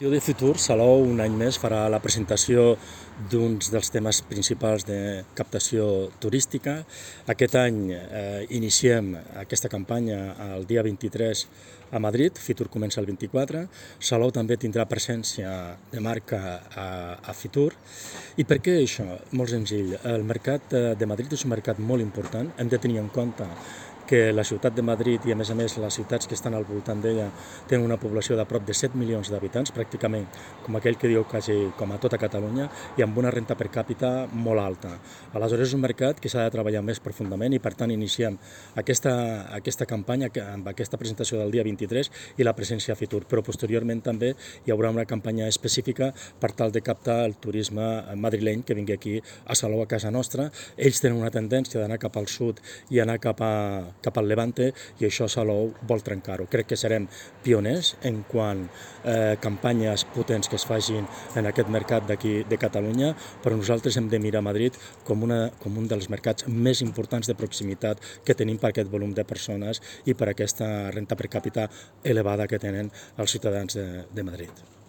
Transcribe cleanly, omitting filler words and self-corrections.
De Fitur, Salou, un any més, farà la presentació d'un dels temes principals de captació turística. Aquest any iniciem aquesta campanya el dia 23 a Madrid, Fitur comença el 24. Salou també tindrà presència de marca a Fitur. I per què això? Molt senzill. El mercat de Madrid és un mercat molt important. Hem de tenir en compte que la ciutat de Madrid i, a més, les ciutats que estan al voltant d'ella tenen una població de prop de 7 milions d'habitants, pràcticament com aquell que diu quasi com a tota Catalunya, i amb una renta per càpita molt alta. Aleshores és un mercat que s'ha de treballar més profundament i, per tant, iniciem aquesta campanya amb aquesta presentació del dia 23 i la presència a Fitur, però posteriorment també hi haurà una campanya específica per tal de captar el turisme madrileny que vingui aquí a Salou, a casa nostra. Ells tenen una tendència d'anar cap al sud i anar cap al Levante, i això Salou vol trencar-ho. Crec que serem pioners en quant a campanyes potents que es facin en aquest mercat d'aquí de Catalunya, però nosaltres hem de mirar Madrid com un dels mercats més importants de proximitat que tenim per aquest volum de persones i per aquesta renta per càpita elevada que tenen els ciutadans de Madrid.